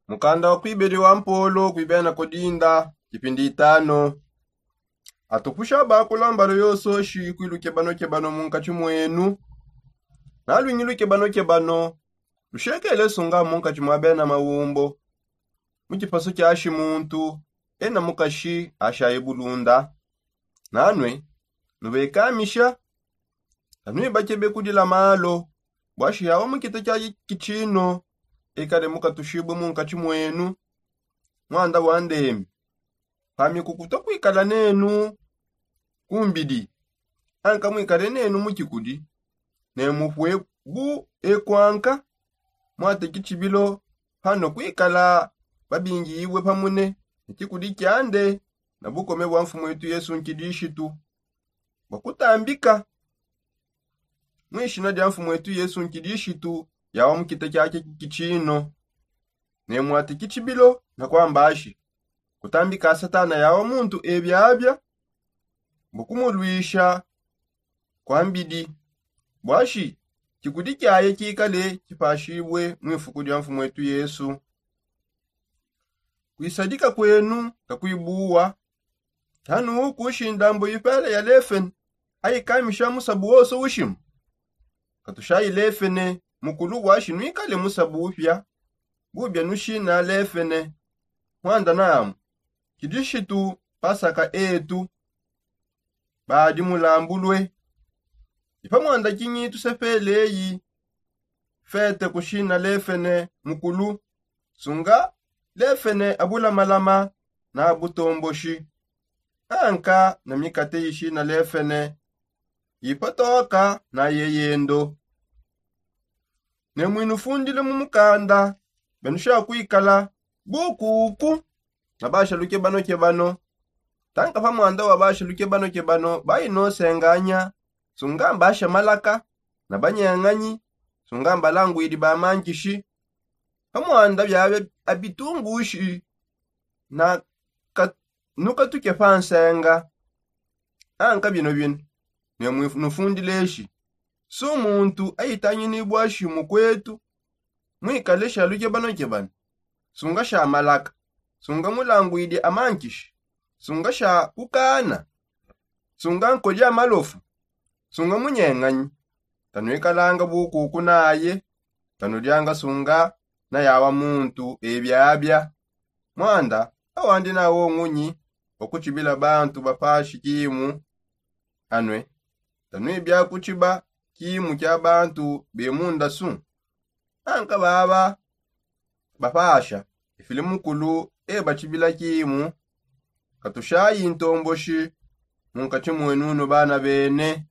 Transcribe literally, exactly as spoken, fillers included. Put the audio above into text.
Mukanda wa kuibeli wa mpolo kuibena kodinda kipindi itano. Atupusha bakula mbalo yososhi kwiluke banokebano munkatshi mwenu. Nalwingiluke banokebano lushekele sunga munkatshi mwa bena mawumbo. Mu tshipasu tshiashi muntu ena mukashi ashaye bulunda. Nanwe nubekamisha. Tanwibakebe kudila malo bwashi yawa mukita tshia kitshino ekale mukatushibue munkatshi mwenu. Mwanda wa ndemi pami kukuta kwikala nenu kumbidi anka mwikale nenu mu tshikudi. Ne mupue bu ekwanka mwate kitshibilo pano kwikala babingiyibue pamune ne tshikudi tshiande na bukome bwa mfumu etu yesu nkidishitu. Bua kutambika mu ishina dia mfumu etu yesu nkidishitu yawa mukita tshia kitshino. Ne mwate kitshibilo na kwambashi kutambika satana yawa muntu ebiabia mbukumulwisha kwambidi bwashi tshikudi tshiaye tshikale tshipashibue mu ifuku dia mfumu etu yesu. Kuisadika kwenu kakuibuwa. Tanu kushi ndambo ipela ya lefene ayikamisha musabu wonso ushima. Katushayi lefene mukulu bwashi nuikale musabu upia bubia nushina lefene. Mwanda namu kidishitu pasaka etu badi mulambulue. Ipamwanda kinyi tusepeleyi fete kushina lefene mukulu sunga lefene abulamalama na butomboshi anka na mikate ishina lefene ipotoka na yeyendo. Ne mwinufundile mu mukanda benusha kwikala bukuku na bashaluke banokebano. Tanka pamwanda wa bashaluke banokebano bayi nosenganya sunga mbasha malaka na banyeng'anyi sunga mbalangwidi ba mankishi. Pamwanda biabe abitungushi na ka- nukatuke pa nsenga. Anka bino bino ne mwifu- nufundileshi su muntu aitangini bwashi mukwetu mwikale shaluke banokebano sunga sha malaka sunga mulangwidi amankishi sunga sha kukana sunga nkodi amalofu sunga munyeng'anyi. Tanuikalanga bukuku naye tanudianga sunga na yawa muntu ebiabia. Mwanda awandi nawo ngunyi wa kutshibila bantu bapashi kimu. Anue tanuibia kutshiba kimu kia bantu be mundasu anka baba bapasha ifili mukulu ebatshibila kimu. Katushayi ntomboshi munkatshi mwenunu bana bene.